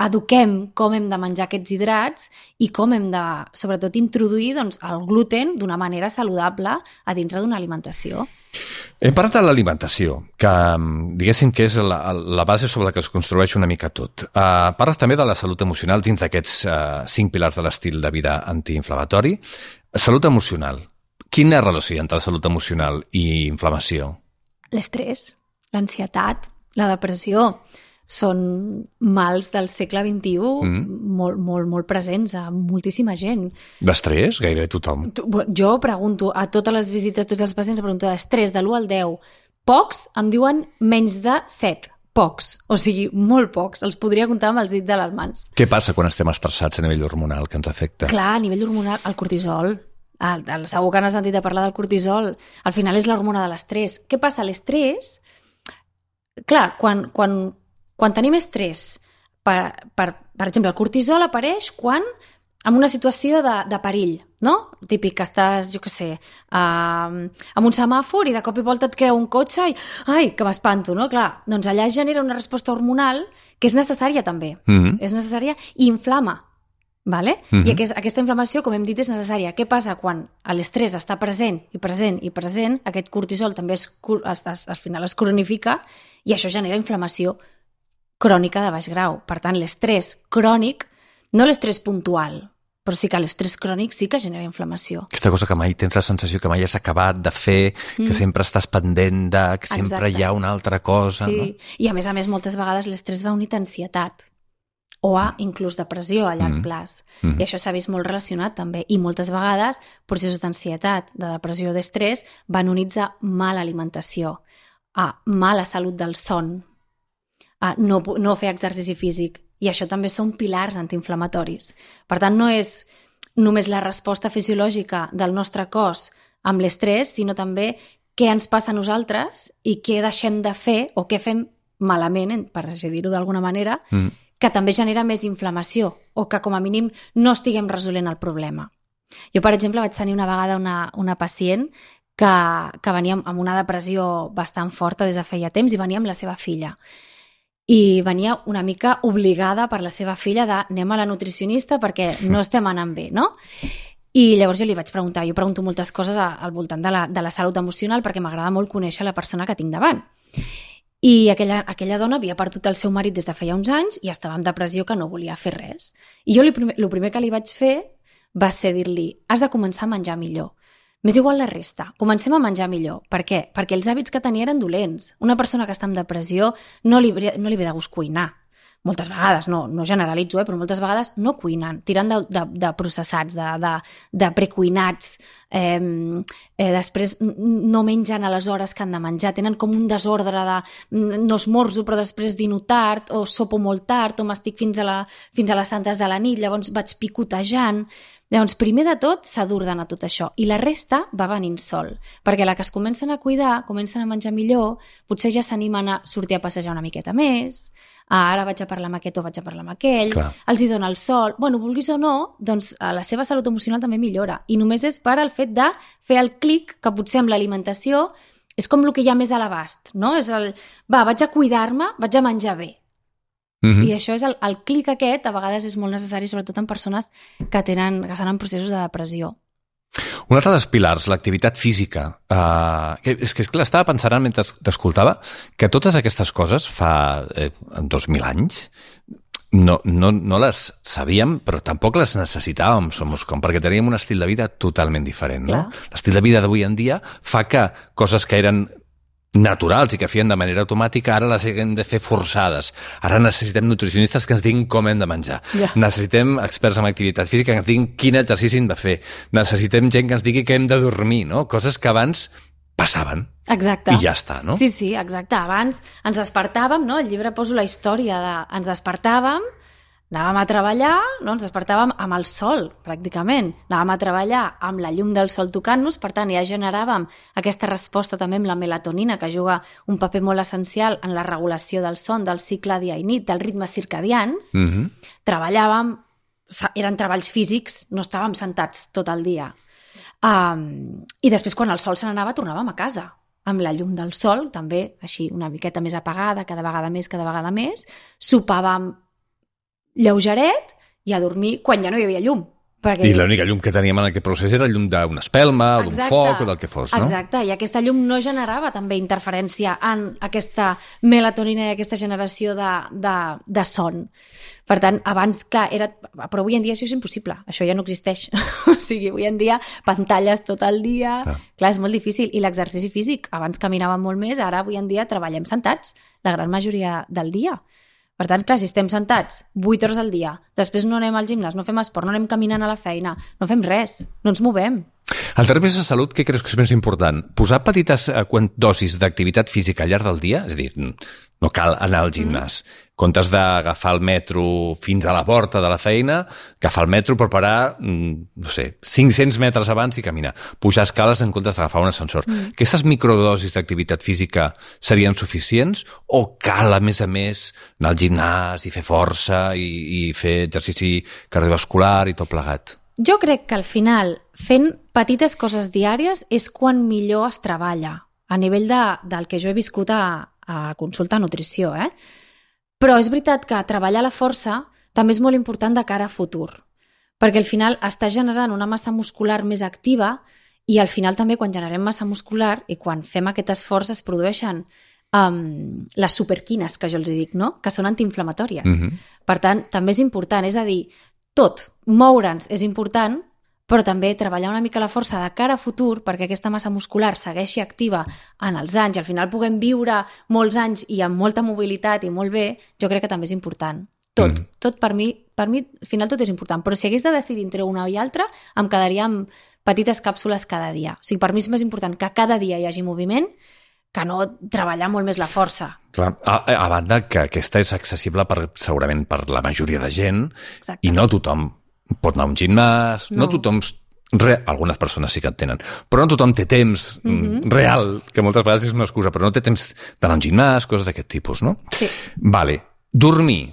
Eduquem com hem de menjar aquests hidrats i com hem de, sobretot, introduir doncs, el gluten d'una manera saludable a dintre d'una alimentació. Hem parlat de l'alimentació, que diguéssim que és la, la base sobre la que es construeix una mica tot. Uh, parles també de la salut emocional dins d'aquests uh, cinc pilars de l'estil de vida antiinflamatori. Salut emocional. Quina relació hi ha entre salut emocional i inflamació? L'estrès, l'ansietat, la depressió són mals del segle vint-i-u mm. molt, molt, molt presents a moltíssima gent. D'estrès? Gairebé tothom. Jo pregunto a totes les visites, tots els pacients, pregunto d'estrès de l'u al deu. Pocs em diuen menys de set. Pocs. O sigui, molt pocs. Els podria comptar amb els dits de les mans. Què passa quan estem estressats a nivell hormonal que ens afecta? Clar, a nivell hormonal, el cortisol. El, el, segur que n'has sentit a parlar del cortisol. Al final és l'hormona de l'estrès. Què passa? L'estrès... Clar, quan... quan Quan tenim estrès, per, per, per exemple, el cortisol apareix quan en una situació de, de perill, no? Típic que estàs, jo què sé, uh, amb un semàfor i de cop i volta et crea un cotxe i, ai, que m'espanto, no? Clar, doncs allà es genera una resposta hormonal que és necessària també. Mm-hmm. És necessària i inflama, vale? Mm-hmm. I aquest, aquesta inflamació, com hem dit, és necessària. Què passa quan l'estrès està present i present i present? Aquest cortisol també es, es, es, al final es cronifica i això genera inflamació crònica de baix grau. Per tant, l'estrès crònic, no l'estrès puntual, però sí que l'estrès crònic sí que genera inflamació. Aquesta cosa que mai tens la sensació que mai has acabat de fer, mm. que sempre estàs pendent de, que sempre Exacte. Hi ha una altra cosa. Sí, no? I a més a més moltes vegades l'estrès va unit a ansietat o a inclús depressió a llarg mm. plaç. Mm. I això s'ha vist molt relacionat també. I moltes vegades processos d'ansietat, de depressió o d'estrès van units a mala alimentació, a mala salut del son, a no, no fer exercici físic. I això també són pilars antiinflamatoris. Per tant, no és només la resposta fisiològica del nostre cos amb l'estrès, sinó també què ens passa a nosaltres i què deixem de fer o què fem malament, per dir-ho d'alguna manera, mm. que també genera més inflamació o que com a mínim no estiguem resolent el problema. Jo, per exemple, vaig tenir una vegada una, una pacient que, que venia amb una depressió bastant forta des de feia temps i venia amb la seva filla. I venia una mica obligada per la seva filla de anem a la nutricionista perquè no estem anant bé, no? I llavors jo li vaig preguntar, jo pregunto moltes coses al voltant de la, de la salut emocional perquè m'agrada molt conèixer la persona que tinc davant. I aquella, aquella dona havia perdut el seu marit des de feia uns anys i estava en depressió que no volia fer res. I jo el primer, el primer que li vaig fer va ser dir-li, has de començar a menjar millor. M'és igual la resta, comencem a menjar millor. Per què? Perquè els hàbits que tenia eren dolents. Una persona que està en depressió no li, no li ve de gust cuinar. moltes vegades, no, no generalitzo, eh, però moltes vegades no cuinen, tiren de, de, de processats, de, de, de precuinats, eh, eh, després no mengen a les hores que han de menjar, tenen com un desordre de no esmorzo però després dino tard, o sopo molt tard, o m'estic fins, a la, fins a les tantes de la nit, llavors vaig picotejant. Llavors, primer de tot, s'ha d'ordenar tot això, i la resta va venint sol, perquè la que es comencen a cuidar, comencen a menjar millor, potser ja s'animen a sortir a passejar una miqueta més, ah, ara vaig a parlar amb aquest o vaig a parlar amb aquell, Clar. els hi dona el sol, bueno, vulguis o no, doncs la seva salut emocional també millora, i només és per al fet de fer el clic que potser amb l'alimentació és com el que hi ha més a l'abast, no? És el, va, vaig a cuidar-me, vaig a menjar bé. Mm-hmm. I això és el, el clic aquest, a vegades és molt necessari, sobretot en persones que tenen, que estan en processos de depressió. Un altre dels pilars, l'activitat física. Uh, és que, és clar, estava pensant mentre t'escoltava que totes aquestes coses fa eh, dos mil anys no, no, no les sabíem, però tampoc les necessitàvem, Somos Com, perquè teníem un estil de vida totalment diferent. No? L'estil de vida d'avui en dia fa que coses que eren naturals i que feien de manera automàtica, ara les hem de fer forçades. Ara necessitem nutricionistes que ens diguin com hem de menjar. Yeah. Necessitem experts en activitat física que ens diguin quin exercici hem de fer. Necessitem gent que ens digui que hem de dormir, no? Coses que abans passaven. Exacte. I ja està, no? Sí, sí, exacte. Abans ens despertàvem, no? Al llibre poso la història de... Ens despertàvem, anàvem a treballar, no? Ens despertàvem amb el sol, pràcticament. Anàvem a treballar amb la llum del sol tocant-nos, per tant, ja generàvem aquesta resposta també amb la melatonina, que juga un paper molt essencial en la regulació del son, del cicle dia i nit, dels ritmes circadians. Mm-hmm. Treballàvem, eren treballs físics, no estàvem sentats tot el dia. Um, I després, quan el sol se n'anava, tornàvem a casa, amb la llum del sol, també així una miqueta més apagada, cada vegada més, cada vegada més. Sopàvem lleugeret i a dormir quan ja no hi havia llum. Perquè... I l'única llum que teníem en aquest procés era llum d'una espelma, o d'un foc, o del que fos, no? Exacte, i aquesta llum no generava també interferència en aquesta melatonina i aquesta generació de, de, de son. Per tant, abans, clar, era... Però avui en dia això és impossible, això ja no existeix. O sigui, avui en dia, pantalles tot el dia... Clar, clar és molt difícil. I l'exercici físic, abans caminàvem molt més, ara avui en dia treballem sentats, la gran majoria del dia. Per tant, clar, si estem sentats vuit hores al dia, després no anem al gimnàs, no fem esport, no anem caminant a la feina, no fem res, no ens movem. En termes de salut, què creus que és més important? Posar petites dosis d'activitat física al llarg del dia? És a dir, no cal anar al gimnàs. Mm. En comptes d'agafar el metro fins a la porta de la feina, agafar el metro per parar, no sé, cinc-cents metres abans i caminar. Pujar escales en comptes d'agafar un ascensor. Mm. Aquestes microdosis d'activitat física serien suficients o cal, a més a més, anar al gimnàs i fer força i, i fer exercici cardiovascular i tot plegat? Jo crec que al final, fent petites coses diàries és quan millor es treballa, a nivell de, del que jo he viscut a, a consulta de nutrició, eh? Però és veritat que treballar la força també és molt important de cara a futur, perquè al final està generant una massa muscular més activa i al final també quan generem massa muscular i quan fem aquest esforç es produeixen um, les superquines, que jo els dic, no? Que són antiinflamatòries. Mm-hmm. Per tant, també és important, és a dir, tot, moure'ns és important, però també treballar una mica la força de cara a futur perquè aquesta massa muscular segueixi activa en els anys i al final puguem viure molts anys i amb molta mobilitat i molt bé, jo crec que també és important. Tot, mm. tot per mi, per mi, al final tot és important, però si hagués de decidir entre una i altra, em quedaria amb petites càpsules cada dia. O sigui, per mi és més important que cada dia hi hagi moviment que no treballar molt més la força. Clar, a, a banda que aquesta és accessible per, segurament per la majoria de gent. Exacte. I no tothom pot anar a un gimnàs, no, no tothom... Re, algunes persones sí que en tenen, però no tothom té temps mm-hmm. real, que moltes vegades és una excusa, però no té temps d'anar a un gimnàs, coses d'aquest tipus, no? Sí. Vale. Dormir.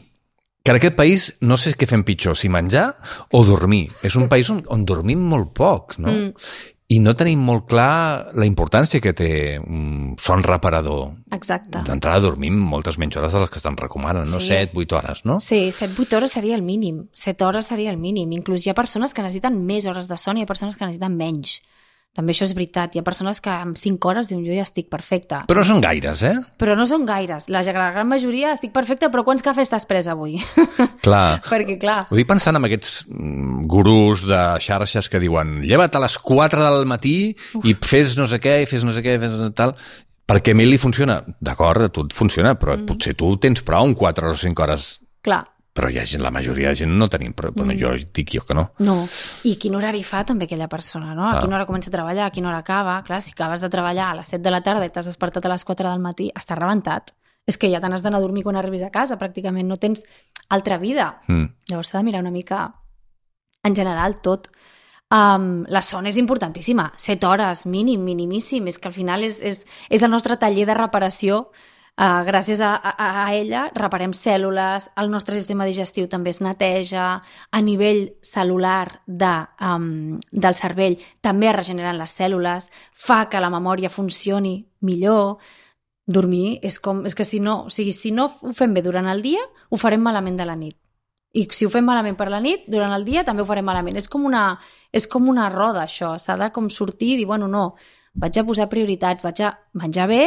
Que en aquest país no sé què fem pitjor, si menjar o dormir. És un país on, on dormim molt poc, no? Mm. I no tenim molt clar la importància que té un son reparador. Exacte. D'entrada dormim moltes menys hores de les que se'n recomanen, no? Sí. set, vuit hores, no? Sí, set, vuit hores seria el mínim. set hores seria el mínim. Inclús hi ha persones que necessiten més hores de son i hi ha persones que necessiten menys. També això és veritat. Hi ha persones que amb cinc hores diuen jo ja estic perfecta. Però no són gaires, eh? Però no són gaires. La gran majoria estic perfecta, però quants cafès t'has pres avui? Clar. Perquè, clar... Ho dic pensant en aquests gurús de xarxes que diuen lleva't a les quatre del matí Uf. I fes no sé què, i fes no sé què, i fes no sé tal... Perquè a mi li funciona. D'acord, a tu et funciona, però mm. potser tu tens prou en quatre o cinc hores clar. Però hi ha gent, la majoria de gent no tenim, però bueno, jo dic jo que no. No, i quin horari fa també aquella persona, no? A Ah. quina hora comença a treballar, a quina hora acaba. Clar, si acabes de treballar a les set de la tarda i t'has despertat a les quatre del matí, estàs rebentat. És que ja te n'has d'anar a dormir quan arribis a casa, pràcticament no tens altra vida. Mm. Llavors s'ha de mirar una mica, en general, tot. Um, la son és importantíssima, set hores, mínim, minimíssim, és que al final és, és, és el nostre taller de reparació. Uh, gràcies a, a, a ella reparem cèl·lules, el nostre sistema digestiu també es neteja, a nivell cel·lular de, um, del cervell també es regeneren les cèl·lules, fa que la memòria funcioni millor. Dormir és com... És que si no, o sigui, si no ho fem bé durant el dia, ho farem malament de la nit. I si ho fem malament per la nit, durant el dia també ho farem malament. És com una, és com una roda, això. S'ha de com sortir i dir, bueno, no, vaig a posar prioritats, vaig a menjar bé,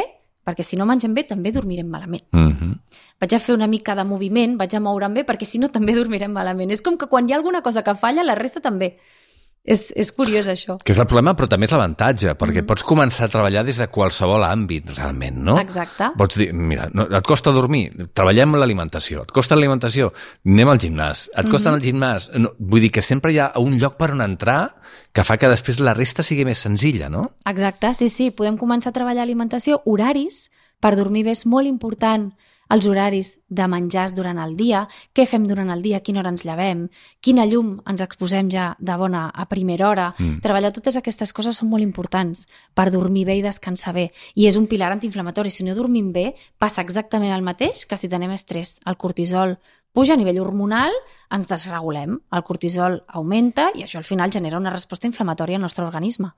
perquè si no mengem bé també dormirem malament. Mm-hmm. Vaig a fer una mica de moviment, vaig a moure'm bé, perquè si no també dormirem malament. És com que quan hi ha alguna cosa que falla, la resta també. És, és curiós, això. Que és el problema, però també és l'avantatge, perquè mm. pots començar a treballar des de qualsevol àmbit, realment, no? Exacte. Pots dir, mira, no, et costa dormir, treballem l'alimentació. Et costa l'alimentació, anem al gimnàs. Et costa mm-hmm. anar al gimnàs. No, vull dir que sempre hi ha un lloc per on entrar que fa que després la resta sigui més senzilla, no? Exacte, sí, sí. Podem començar a treballar alimentació. Horaris per dormir bé és molt important. Els horaris de menjars durant el dia, què fem durant el dia, a quina hora ens llevem, quina llum ens exposem ja de bona a primera hora. Mm. Treballar totes aquestes coses són molt importants per dormir bé i descansar bé. I és un pilar antiinflamatori. Si no dormim bé, passa exactament el mateix que si tenim estrès. El cortisol puja a nivell hormonal, ens desregulem, el cortisol augmenta i això al final genera una resposta inflamatòria al nostre organisme.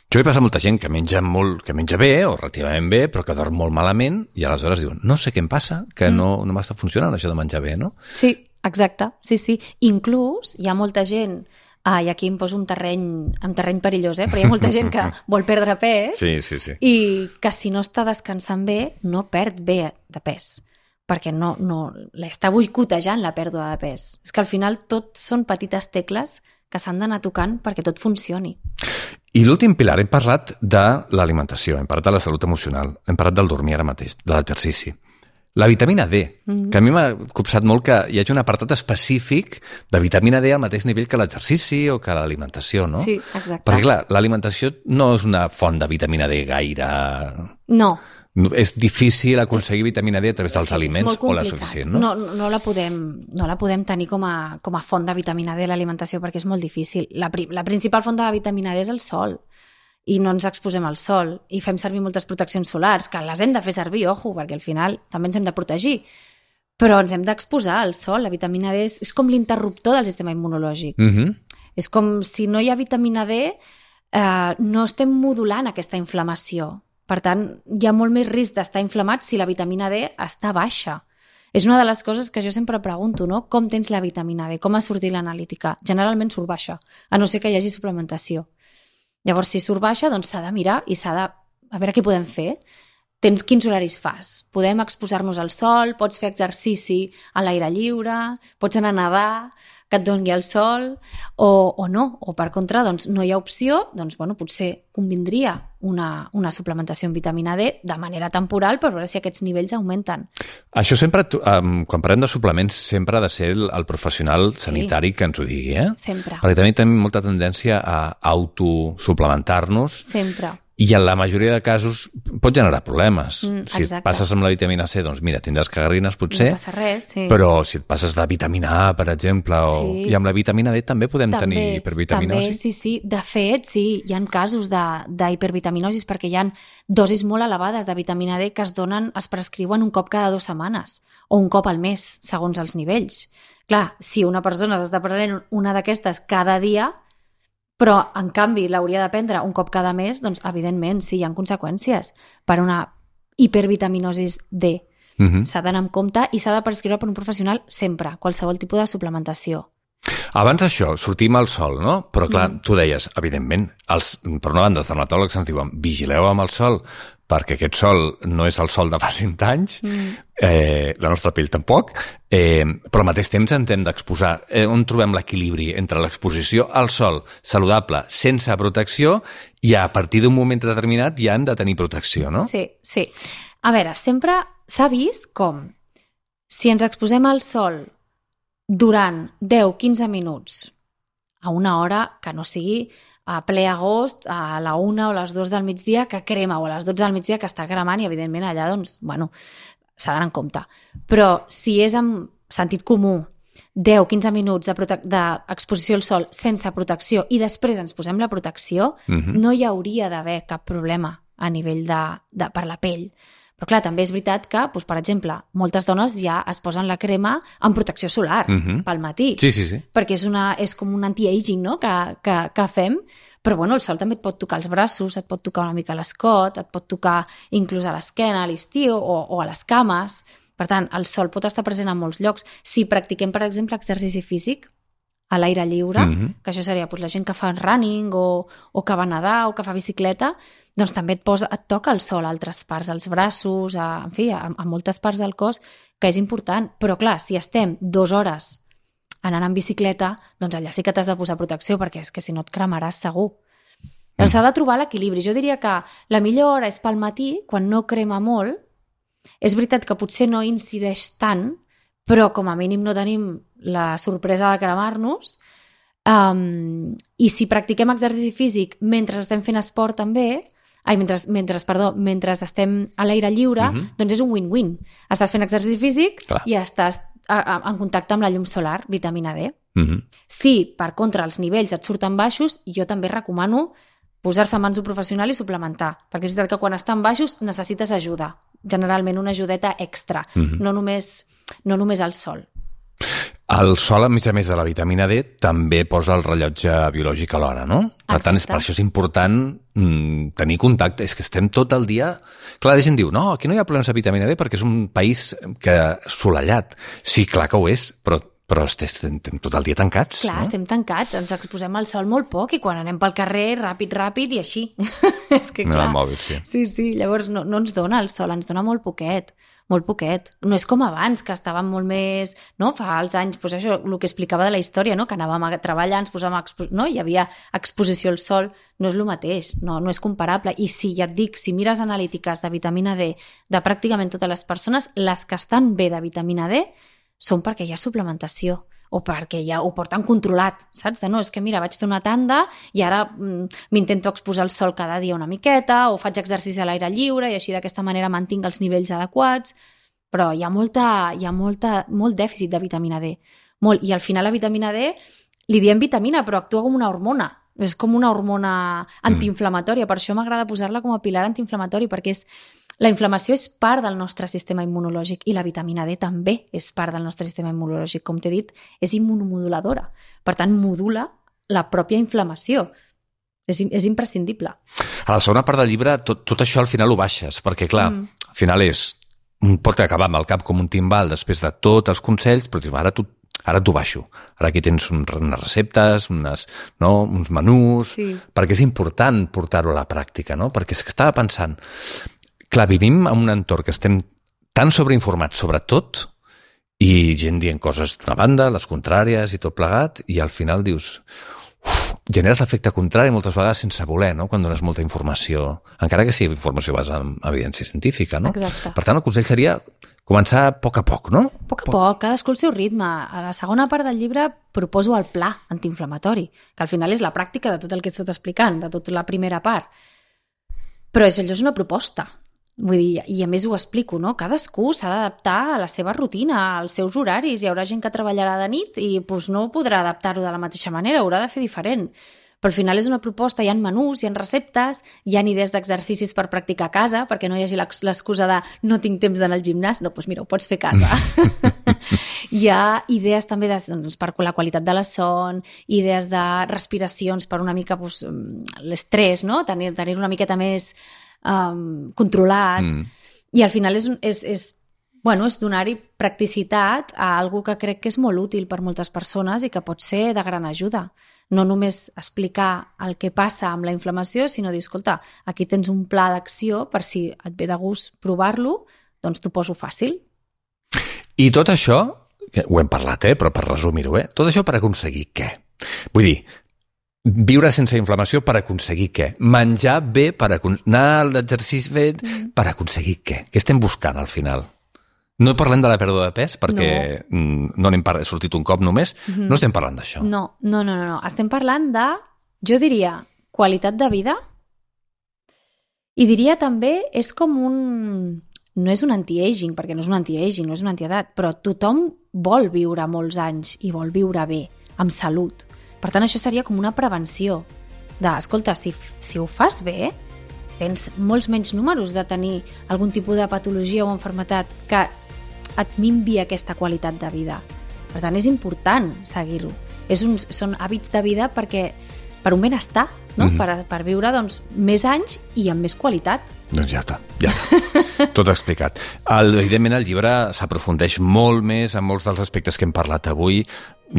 Això li passa a molta gent que menja molt, que menja bé o relativament bé, però que dorm molt malament i aleshores diuen, no sé què em passa, que mm. no, no m'està funcionant això de menjar bé, no? Sí, exacte, sí, sí. Inclús hi ha molta gent, ah, i aquí em poso un terreny, un terreny perillós, eh? Però hi ha molta gent que vol perdre pes sí, sí, sí. i que si no està descansant bé, no perd bé de pes, perquè no, no, l'està boicotejant la pèrdua de pes. És que al final tot són petites tecles que s'han d'anar tocant perquè tot funcioni. I l'últim pilar, hem parlat de l'alimentació, hem parlat de la salut emocional, hem parlat del dormir ara mateix, de l'exercici. La vitamina D, mm-hmm. que a mi m'ha copsat molt que hi hagi un apartat específic de vitamina D al mateix nivell que l'exercici o que l'alimentació, no? Sí, exacte. Perquè, clar, l'alimentació no és una font de vitamina D gaire... No. És difícil aconseguir vitamina D a través dels sí, aliments o la suficient, no? No, no, la podem, no la podem tenir com a, com a font de vitamina D a l'alimentació perquè és molt difícil. La, la principal font de la vitamina D és el sol i no ens exposem al sol i fem servir moltes proteccions solars, que les hem de fer servir, ojo, perquè al final també ens hem de protegir, però ens hem d'exposar al sol. La vitamina D és, és com l'interruptor del sistema immunològic. Mm-hmm. És com si no hi ha vitamina D, eh, no estem modulant aquesta inflamació. Per tant, hi ha molt més risc d'estar inflamat si la vitamina D està baixa. És una de les coses que jo sempre pregunto, no? Com tens la vitamina D? Com ha sortit l'analítica? Generalment surt baixa, a no ser que hi hagi suplementació. Llavors, si surt baixa, doncs s'ha de mirar i s'ha de... A veure què podem fer. Tens quins horaris fas? Podem exposar-nos al sol, pots fer exercici a l'aire lliure, pots anar a nedar, que et doni el sol, o, o no, o per contra, doncs no hi ha opció, doncs bueno, potser convindria una, una suplementació amb vitamina D de manera temporal per veure si aquests nivells augmenten. Això sempre, um, quan parlem de suplements, sempre ha de ser el, el professional sanitari sí. que ens ho digui, eh? Sempre. Perquè també tenim molta tendència a autosuplementar-nos. Sempre. I en la majoria de casos pot generar problemes. Mm, si et passes amb la vitamina C, doncs mira, tindràs cagarrines potser, no passa res, sí. Però si et passes de vitamina A, per exemple, o... sí. i amb la vitamina D també podem també, tenir hipervitaminosi. També, sí, sí. De fet, sí, hi ha casos d'hipervitaminosis perquè hi ha dosis molt elevades de vitamina D que es donen, es prescriuen un cop cada dues setmanes o un cop al mes, segons els nivells. Clar, si una persona s'està prenent una d'aquestes cada dia, però, en canvi, l'hauria de prendre un cop cada mes, doncs, evidentment, sí, hi ha conseqüències per una hipervitaminosis D. Mm-hmm. S'ha d'anar amb compte i s'ha de prescriure per un professional sempre, qualsevol tipus de suplementació. Abans d'això, sortim al sol, no? Però, clar, mm. tu deies, evidentment, els, per una banda, els dermatòlegs ens diuen vigileu amb el sol, perquè aquest sol no és el sol de fa cent anys, mm. eh, la nostra pell tampoc, eh, però al mateix temps ens hem d'exposar. Eh, on trobem l'equilibri entre l'exposició al sol saludable, sense protecció, i a partir d'un moment determinat ja hem de tenir protecció, no? Sí, sí. A veure, sempre s'ha vist com si ens exposem al sol durant deu a quinze minuts a una hora que no sigui a ple agost, a la una o les dues del migdia que crema, o a les dotze del migdia que està cremant i, evidentment, allà, doncs, bueno, s'ha d'anar en compte. Però si és amb sentit comú, deu a quinze minuts d'exposició al sol sense protecció i després ens posem la protecció, uh-huh. no hi hauria d'haver cap problema a nivell de, de, per la pell. Però clar, també és veritat que, doncs, per exemple, moltes dones ja es posen la crema amb protecció solar uh-huh. pel matí. Sí, sí, sí. Perquè és, una, és com un anti-aging, no?, que, que, que fem. Però bueno, el sol també et pot tocar els braços, et pot tocar una mica l'escot, et pot tocar inclús a l'esquena, a l'estiu o, o a les cames. Per tant, el sol pot estar present en molts llocs. Si practiquem, per exemple, exercici físic a l'aire lliure, mm-hmm. que això seria doncs, la gent que fa running o, o que va nedar o que fa bicicleta, doncs també et, posa, et toca el sol a altres parts, als braços, a, en fi, a, a moltes parts del cos, que és important. Però clar, si estem dues hores anant en bicicleta, doncs allà sí que t'has de posar protecció, perquè és que si no et cremaràs segur. Mm. S'ha de trobar l'equilibri. Jo diria que la millor hora és pel matí, quan no crema molt. És veritat que potser no incideix tant, però com a mínim no tenim la sorpresa de cremar-nos. Um, I si practiquem exercici físic mentre estem fent esport també, ai, mentre, mentre, perdó, mentre estem a l'aire lliure, uh-huh. doncs és un win-win. Estàs fent exercici físic Clar. I estàs a, a, en contacte amb la llum solar, vitamina D. Uh-huh. Si, per contra, els nivells et surten baixos, jo també recomano posar-se en mans d'un professional i suplementar, perquè és veritat que quan estan baixos necessites ajuda, generalment una ajudeta extra, uh-huh. no només, no només al sol. El sol, a més a més de la vitamina D, també posa el rellotge biològic alhora, no? Per Exacte. tant, és per això és important mm, tenir contacte. És que estem tot el dia... Clar, la gent diu, no, aquí no hi ha problemes de vitamina D perquè és un país que assolellat. Sí, clar que ho és, però però estem tot el dia tancats. Clar, no? Estem tancats, ens exposem al sol molt poc i quan anem pel carrer, ràpid, ràpid i així. És que clar... No, mòbil, sí. Sí, sí, llavors no, no ens dona el sol, ens dona molt poquet, molt poquet. No és com abans, que estàvem molt més... No? Fa els anys, doncs això, el que explicava de la història, no? Que anàvem a treballar, ens posàvem a expo... no? Hi havia exposició al sol, no és el mateix, no, no és comparable. I sí, ja et dic, si mires analítiques de vitamina D de pràcticament totes les persones, les que estan bé de vitamina D són perquè hi ha suplementació o perquè ja ho porten controlat, saps? De no, és que mira, vaig fer una tanda i ara mm, m'intento exposar al sol cada dia una miqueta o faig exercici a l'aire lliure i així d'aquesta manera mantinc els nivells adequats, però hi ha, molta, hi ha molta, molt dèficit de vitamina D. Molt. I al final la vitamina D li diem vitamina, però actua com una hormona. És com una hormona antiinflamatòria. Per això m'agrada posar-la com a pilar antiinflamatori, perquè és la inflamació és part del nostre sistema immunològic i la vitamina D també és part del nostre sistema immunològic. Com t'he dit, és immunomoduladora. Per tant, modula la pròpia inflamació. És, és imprescindible. A la segona part del llibre, tot, tot això al final ho baixes, perquè clar, mm. al final és... pot acabar amb el cap com un timbal després de tots els consells, però dius, ara tu Ara t'ho baixo. Ara aquí tens un, unes receptes, unes, no, uns menús, sí. Perquè és important portar-ho a la pràctica, no? Perquè és que estava pensant... Clar, vivim en un entorn que estem tan sobreinformats sobre tot i gent dient coses d'una banda, les contràries i tot plegat, i al final dius... Uf, generes l'efecte contrari moltes vegades sense voler, no? Quan dones molta informació, encara que sigui informació basada en evidència científica, no? Exacte. Per tant, el consell seria començar a poc a poc, no? A poc a poc, cadascú el seu ritme. A la segona part del llibre proposo el pla antiinflamatori, que al final és la pràctica de tot el que he estat explicant, de tota la primera part. Però això és una proposta. Vull dir, i a més ho explico, no? Cadascú s'ha d'adaptar a la seva rutina, als seus horaris. Hi haurà gent que treballarà de nit i doncs, no podrà adaptar-ho de la mateixa manera, haurà de fer diferent. Però al final és una proposta, hi ha menús, hi ha receptes, hi ha idees d'exercicis per practicar a casa, perquè no hi hagi l'excusa de no tinc temps d'anar al gimnàs. No, doncs mira, ho pots fer a casa. Hi ha idees també de, doncs, per la qualitat de la son, idees de respiracions per una mica doncs, l'estrès, no? Tenir, tenir una miqueta més um, controlat. Mm. I al final és, és, és, bueno, és donar-hi practicitat a algo que crec que és molt útil per moltes persones i que pot ser de gran ajuda. No només explicar el que passa amb la inflamació, sinó dir, escolta, aquí tens un pla d'acció per si et ve de gust provar-lo, doncs t'ho poso fàcil. I tot això, ho hem parlat, eh, però per resumir-ho, eh, tot això per aconseguir què? Vull dir, viure sense inflamació per aconseguir què? Menjar bé per aconseguir... Anar a l'exercici bé per aconseguir què? Què estem buscant al final? No parlem de la pèrdua de pes, perquè no, no n'hem par- sortit un cop només. Mm-hmm. No estem parlant d'això. No, no, no, no, no. Estem parlant de, jo diria, qualitat de vida, i diria també, és com un... No és un anti-aging, perquè no és un anti-aging, no és una antiedat, però tothom vol viure molts anys i vol viure bé, amb salut. Per tant, això seria com una prevenció de, escolta, si, si ho fas bé, tens molts menys números de tenir algun tipus de patologia o enfermetat que et minvi aquesta qualitat de vida. Per tant, és important seguir-ho. És un, són hàbits de vida perquè per un benestar, no? Mm-hmm. per, per viure doncs, més anys i amb més qualitat. Doncs ja està, ja està. Tot explicat. El, evidentment, el llibre s'aprofundeix molt més en molts dels aspectes que hem parlat avui.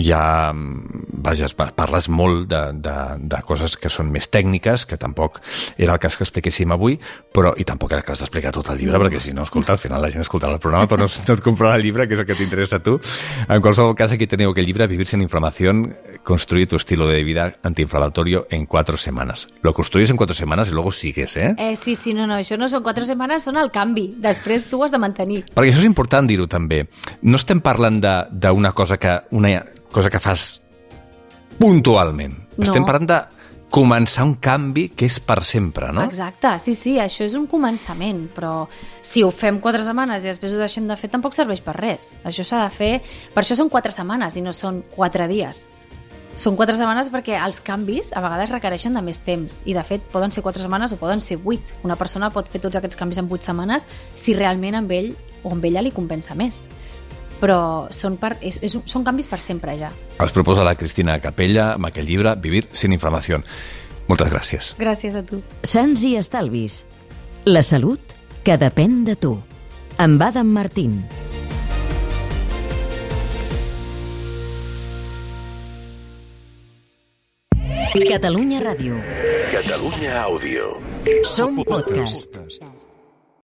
Ja, vaja, parles molt de, de, de coses que són més tècniques, que tampoc era el cas que expliquéssim avui, però, i tampoc era el cas d'explicar tot el llibre, perquè si no, escolta, al final la gent escoltarà el programa, però no, no et comprarà el llibre, que és el que t'interessa a tu. En qualsevol cas, aquí teniu aquell llibre, Vivir sin inflamación, construir tu estilo de vida antiinflamatorio en cuatro semanas. Lo construís en cuatro semanas y luego sigues, eh? Eh, sí, sí, no, no, això no són quatre setmanes, són el canvi. Després tu ho has de mantenir. Perquè això és important dir-ho també. No estem parlant d'una cosa que una cosa que fas puntualment. No. Estem parlant de començar un canvi que és per sempre, no? Exacte, sí, sí, això és un començament, però si ho fem quatre setmanes i després ho deixem de fer, tampoc serveix per res. Això s'ha de fer... Per això són quatre setmanes i no són quatre dies. Són quatre setmanes perquè els canvis a vegades requereixen de més temps i, de fet, poden ser quatre setmanes o poden ser vuit. Una persona pot fer tots aquests canvis en vuit setmanes si realment amb ell o amb ella li compensa més. Però són, per, és, és, són canvis per sempre ja. Els proposa la Cristina Capella amb aquell llibre Vivir sin inflamación. Moltes gràcies. Gràcies a tu. Sants i estalvis. La salut que depèn de tu. Amb Adam Martín. Catalunya Ràdio. Catalunya Àudio. Som podcast.